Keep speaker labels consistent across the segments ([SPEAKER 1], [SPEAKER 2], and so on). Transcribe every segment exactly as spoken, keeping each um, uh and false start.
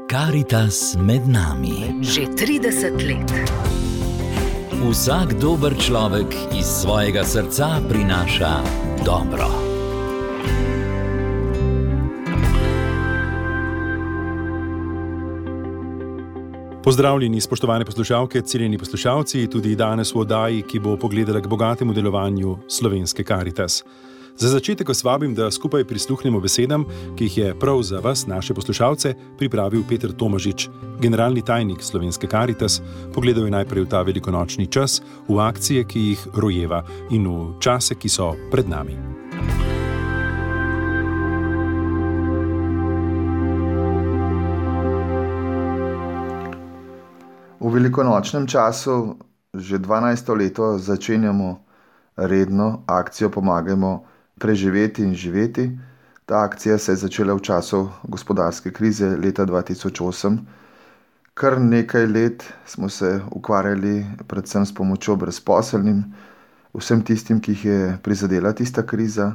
[SPEAKER 1] Karitas med nami.
[SPEAKER 2] Že trideset let.
[SPEAKER 1] Vsak dober človek iz svojega srca prinaša dobro.
[SPEAKER 3] Pozdravljeni, spoštovane poslušalke, cenjeni poslušalci, tudi danes v oddaji, ki bo pogledala k bogatemu delovanju slovenske Karitas. Za začetek vas vabim, da skupaj prisluhnemo besedam, ki jih je prav za vas, naše poslušalce, pripravil Peter Tomažič, generalni tajnik slovenske Karitas. Pogledal je najprej v ta velikonočni čas, v akcije, ki jih rojeva, in v čase, ki so pred nami.
[SPEAKER 4] V velikonočnem času že dvanajsto leto začenjamo redno akcijo Pomagajmo preživeti in živeti. Ta akcija se je začela v času gospodarske krize leta dva tisoč osem. Kar nekaj let smo se ukvarjali predvsem s pomočjo brezposelnim, vsem tistim, ki jih je prizadela tista kriza.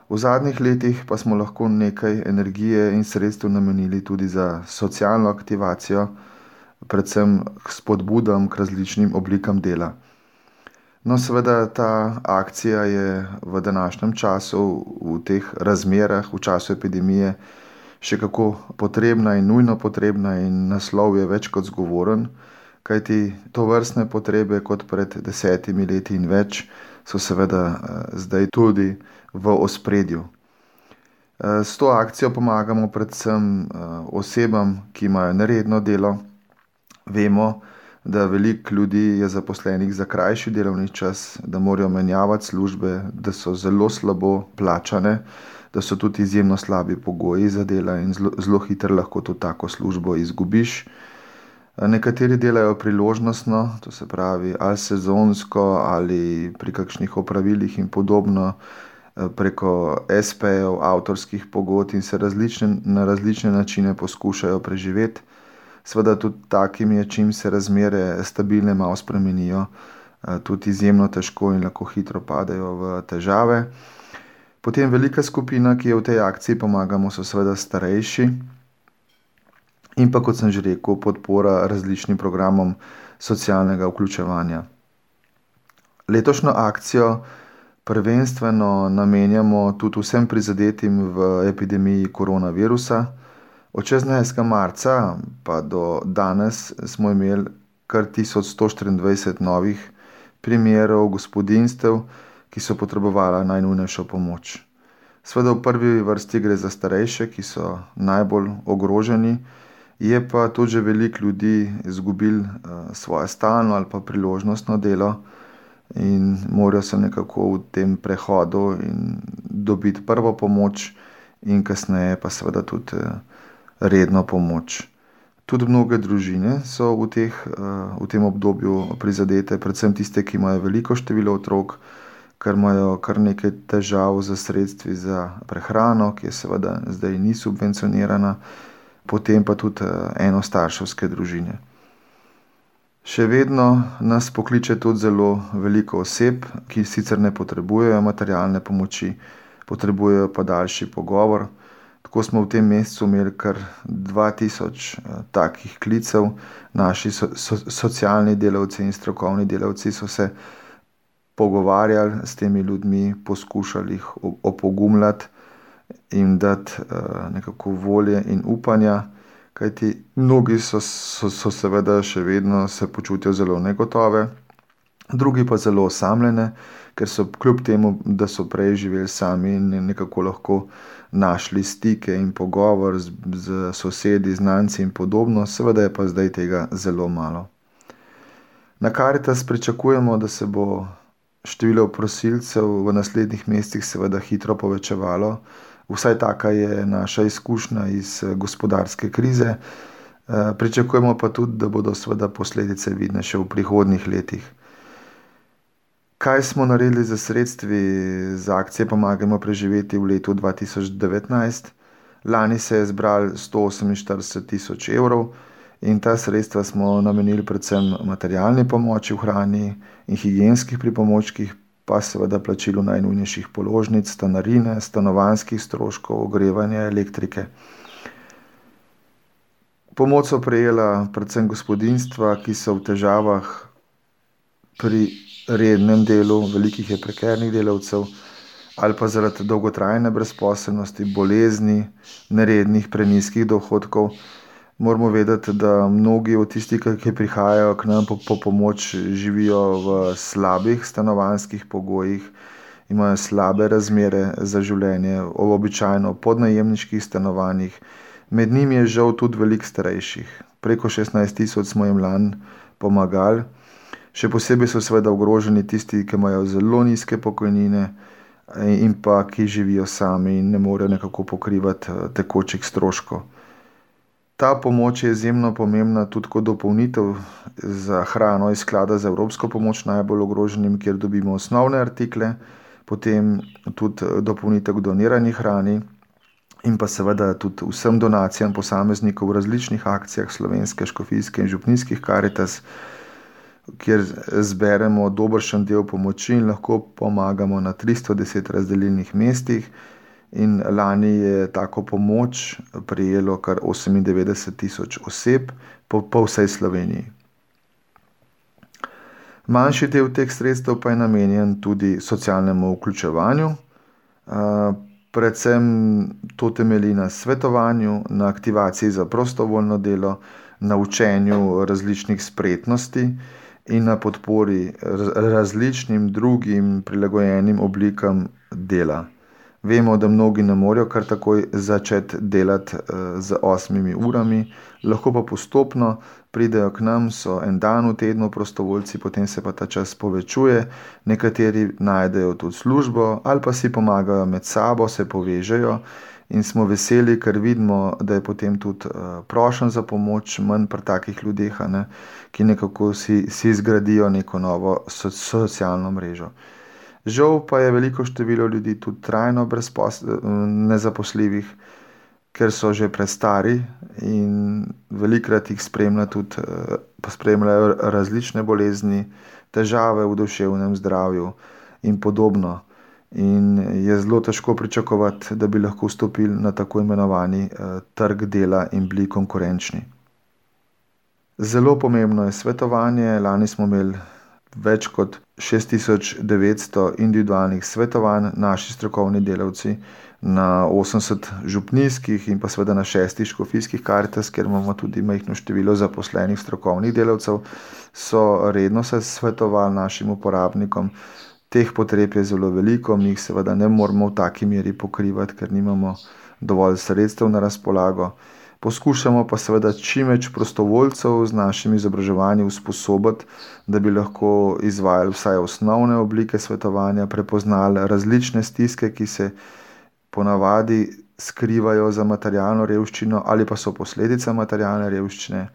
[SPEAKER 4] V zadnjih letih pa smo lahko nekaj energije in sredstev namenili tudi za socialno aktivacijo, predvsem k spodbudam, k različnim oblikam dela. No, seveda ta akcija je v današnjem času, v teh razmerah, v času epidemije, še kako potrebna in nujno potrebna, in naslov je več kot zgovoren, kajti tovrstne potrebe kot pred desetimi leti in več so seveda zdaj tudi v ospredju. S to akcijo pomagamo predvsem osebam, ki imajo neredno delo. Vemo, da veliko ljudi je zaposlenih za krajši delovni čas, da morajo menjavati službe, da so zelo slabo plačane, da so tudi izjemno slabi pogoji za dela in zelo, zelo hitro lahko tudi tako službo izgubiš. Nekateri delajo priložnostno, to se pravi ali sezonsko ali pri kakšnih opravilih in podobno, preko es pejev, avtorskih pogodb in se različne, na različne načine poskušajo preživeti. Seveda tudi takim je, čim se razmere stabilne malo spremenijo, tudi izjemno težko in lahko hitro padejo v težave. Potem velika skupina, ki je v tej akciji Pomagamo, so seveda starejši in pa, kot sem že rekel, podpora različnim programom socialnega vključevanja. Letošnjo akcijo prvenstveno namenjamo tudi vsem prizadetim v epidemiji koronavirusa. Od šestnajstega marca pa do danes smo imeli kar tisoč sto štiriindvajset novih primerov gospodinjstev, ki so potrebovali najnujnejšo pomoč. Seveda v prvi vrsti gre za starejše, ki so najbolj ogroženi, je pa tudi že veliko ljudi izgubili svoje stalno ali pa priložnostno delo in morajo se nekako v tem prehodu in dobiti prvo pomoč in kasneje pa seveda tudi redno pomoč. Tudi mnoge družine so v, teh, v tem obdobju prizadete, predvsem tiste, ki imajo veliko število otrok, ker imajo kar nekaj težav z sredstvi za prehrano, ki je seveda zdaj ni subvencionirana, potem pa tudi enostarševske družine. Še vedno nas pokliče tudi zelo veliko oseb, ki sicer ne potrebujejo materialne pomoči, potrebujejo pa daljši pogovor. Tako smo v tem mesecu imeli kar dva tisoč takih klicev. Naši so, so, socialni delavci in strokovni delavci so se pogovarjali s temi ljudmi, poskušali jih opogumljati in dati uh, nekako volje in upanja, kajti mnogi so, so, so seveda še vedno se počutijo zelo negotove, drugi pa zelo osamljene, ker so kljub temu, da so prej živeli sami in nekako lahko našli stike in pogovor z, z sosedi, znanci in podobno, seveda je pa zdaj tega zelo malo. Na Karitas pričakujemo, da se bo število prosilcev v naslednjih mesecih seveda hitro povečevalo. Vsaj taka je naša izkušnja iz gospodarske krize. Pričakujemo pa tudi, da bodo seveda posledice vidne še v prihodnjih letih. Kaj smo naredili za sredstvi za akcije Pomagajmo preživeti v letu dva tisoč devetnajst? Lani se je zbralo sto oseminštirideset tisoč evrov in ta sredstva smo namenili predvsem materialni pomoči v hrani in higienskih pripomočkih, pa seveda plačilu najnujnejših položnic, stanarine, stanovanjskih stroškov, ogrevanja, elektrike. Pomoč so prejela predvsem gospodinjstva, ki so v težavah pri rednem delu, velikih je prekernih delavcev, ali pa zaradi dolgotrajne brezposelnosti, bolezni, nerednih, prenizkih dohodkov. Moramo vedeti, da mnogi od tistih, ki prihajajo k nam po, po pomoč, živijo v slabih stanovanjskih pogojih, imajo slabe razmere za življenje, običajno podnajemniških stanovanjih. Med njimi je žal tudi veliko starejših. Preko šestnajst tisoč smo jim lani pomagali. Še posebej so seveda ogroženi tisti, ki imajo zelo nizke pokojnine in pa ki živijo sami in ne morejo nekako pokrivati tekočih stroškov. Ta pomoč je izjemno pomembna tudi kot dopolnitev za hrano iz sklada za evropsko pomoč najbolj ogroženim, kjer dobimo osnovne artikle, potem tudi dopolnitev k donirani hrani in pa seveda tudi vsem donacijam posameznikov v različnih akcijah slovenske, škofijske in župnijskih Karitas, kjer zberemo dobršen del pomoči in lahko pomagamo na tristo deset razdelilnih mestih. In lani je tako pomoč prejelo kar osemindevetdeset tisoč oseb po, po vsej Sloveniji. Manjši del teh sredstev pa je namenjen tudi socialnemu vključevanju. Predvsem to temelji na svetovanju, na aktivaciji za prostovoljno delo, na učenju različnih spretnosti in na podpori različnim drugim prilagojenim oblikam dela. Vemo, da mnogi ne morejo kar takoj začeti delati z osmimi urami, lahko pa postopno pridejo k nam, so en dan v tednu prostovoljci, potem se pa ta čas povečuje, nekateri najdejo tudi službo ali pa si pomagajo med sabo, se povežejo in smo veseli, ker vidimo, da je potem tudi prošen za pomoč manj pri takih ljudeh, ne, ki nekako si, si zgradijo neko novo so, socialno mrežo. Žal pa je veliko število ljudi tudi trajno nezaposljivih, ker so že prestari in velikrat jih spremlja tudi, spremljajo različne bolezni, težave v duševnem zdravju in podobno. In je zelo težko pričakovati, da bi lahko vstopili na tako imenovani trg dela in bili konkurenčni. Zelo pomembno je svetovanje. Lani smo imeli več kot šest tisoč devetsto individualnih svetovanj, naši strokovni delavci na osemdeset župnijskih in pa seveda na šestih škofijskih Karitas, kjer imamo tudi majhno število zaposlenih strokovnih delavcev, so redno se svetovali našim uporabnikom. Teh potreb je zelo veliko, mi jih seveda ne moremo v taki meri pokrivati, ker nimamo dovolj sredstev na razpolago. Poskušamo pa seveda čim več prostovoljcev z našim izobraževanjem usposobiti, da bi lahko izvajali vsaj osnovne oblike svetovanja, prepoznali različne stiske, ki se ponavadi skrivajo za materialno revščino ali pa so posledica materialne revščine,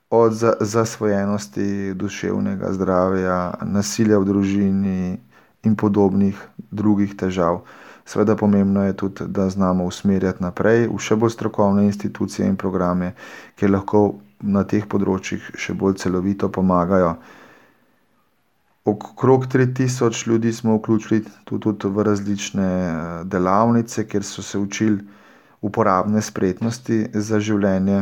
[SPEAKER 4] od zasvojenosti, duševnega zdravja, nasilja v družini in podobnih drugih težav. Seveda pomembno je tudi, da znamo usmerjati naprej v še bolj strokovne institucije in programe, ki lahko na teh področjih še bolj celovito pomagajo. Okrog tri tisoč ljudi smo vključili tudi, tudi v različne delavnice, kjer so se učili uporabne spretnosti za življenje.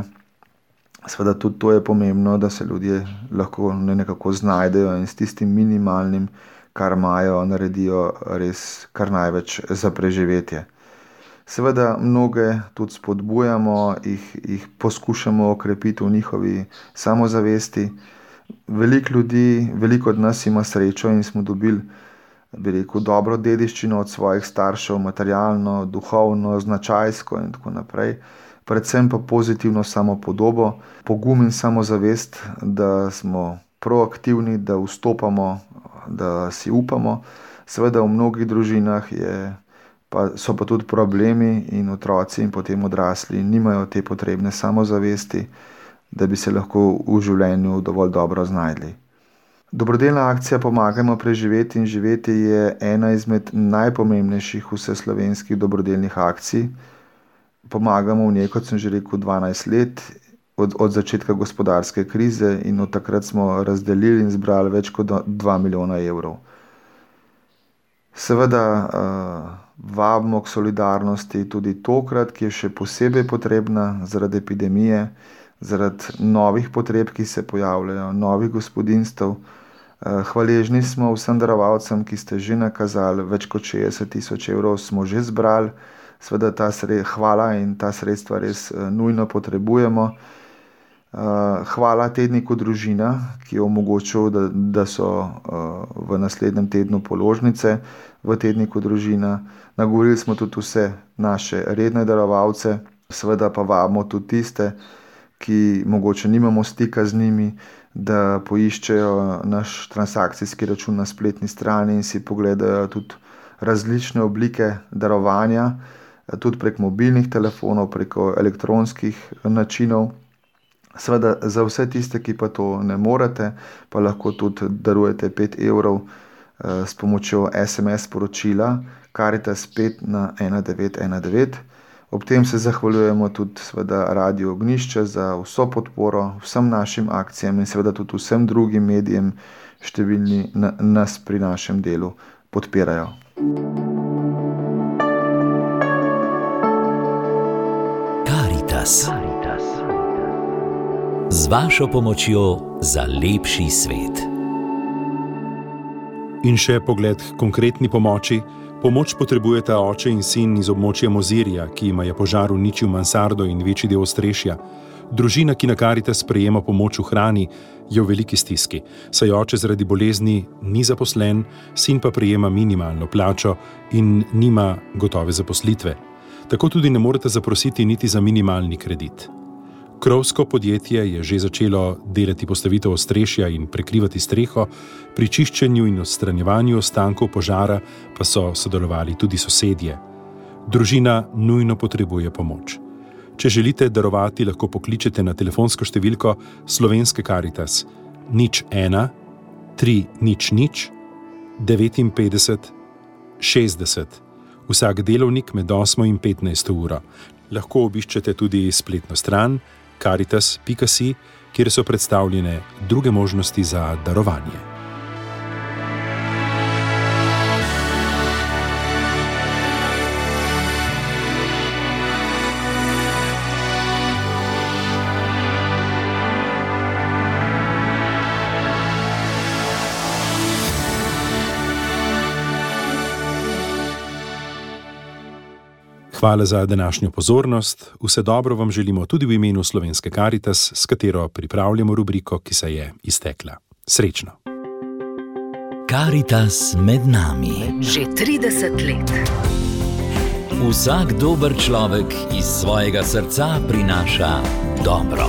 [SPEAKER 4] Seveda tudi to je pomembno, da se ljudje lahko nekako znajdejo in s tistim minimalnim, kar imajo, naredijo res kar največ za preživetje. Seveda mnoge tudi spodbujamo, jih, jih poskušamo okrepiti v njihovi samozavesti. Veliko ljudi, veliko od nas ima srečo in smo dobili, bi rekel, dobro dediščino od svojih staršev, materialno, duhovno, značajsko in tako naprej. Predvsem pa pozitivno samopodobo, pogum in samozavest, da smo proaktivni, da vstopamo, da si upamo. Seveda v mnogih družinah je, pa, so pa tudi problemi in otroci in potem odrasli nimajo te potrebne samozavesti, da bi se lahko v življenju dovolj dobro znajdli. Dobrodelna akcija Pomagajmo preživeti in živeti je ena izmed najpomembnejših vseslovenskih dobrodelnih akcij. Pomagamo v njej, kot sem že rekel, dvanajst let, Od, od začetka gospodarske krize in od takrat smo razdelili in zbrali več kot dva milijona evrov. Seveda uh, vabimo k solidarnosti tudi tokrat, ki je še posebej potrebna zaradi epidemije. zaradi novih potreb, ki se pojavljajo, novih gospodinjstev. Hvaležni smo vsem darovalcem, ki ste že nakazali, več kot šestdeset tisoč evrov smo že zbrali. Seveda ta sre, hvala in ta sredstva res nujno potrebujemo. Hvala tedniku Družina, ki je omogočil, da, da so v naslednjem tednu položnice v tedniku Družina. Nagovorili smo tudi vse naše redne darovalce, seveda pa vabimo tudi tiste, ki mogoče nimamo stika z njimi, da poiščejo naš transakcijski račun na spletni strani in si pogledajo tudi različne oblike darovanja, tudi prek mobilnih telefonov, preko elektronskih načinov. Seveda za vse tiste, ki pa to ne morete, pa lahko tudi darujete pet evrov s pomočjo es em es sporočila Karitas pet na ena devet ena devet. Ob tem se zahvaljujemo tudi seveda Radiu Ognjišče za vso podporo vsem našim akcijam in seveda tudi vsem drugim medijem, številni na, nas pri našem delu podpirajo.
[SPEAKER 1] Karitas. Z vašo pomočjo za lepši svet.
[SPEAKER 3] In še pogled k konkretni pomoči. Pomoč potrebujeta oče in sin iz območja Mozirja, ki jima je požar uničil mansardo in večji del ostrešja. Družina, ki na Karitas prejema pomoč v hrani, je v veliki stiski, saj oče zaradi bolezni ni zaposlen, sin pa prejema minimalno plačo in nima gotove zaposlitve. Tako tudi ne morete zaprositi niti za minimalni kredit. Krovsko podjetje je že začelo delati postavitev ostrešja in prekrivati streho, pri čiščenju in odstranjevanju ostankov požara pa so sodelovali tudi sosedje. Družina nujno potrebuje pomoč. Če želite darovati, lahko pokličete na telefonsko številko Slovenske Karitas nič ena tri nič nič devetinpetdeset šestdeset. Vsak delovnik med osmo in petnajsto uro. Lahko obiščete tudi spletno stran karitas pika si, kjer so predstavljene druge možnosti za darovanje. Hvala za današnjo pozornost. Vse dobro vam želimo tudi v imenu Slovenske Karitas, s katero pripravljamo rubriko, ki se je iztekla. Srečno!
[SPEAKER 1] Karitas med nami.
[SPEAKER 2] Že trideset let.
[SPEAKER 1] Vsak dober človek iz svojega srca prinaša dobro.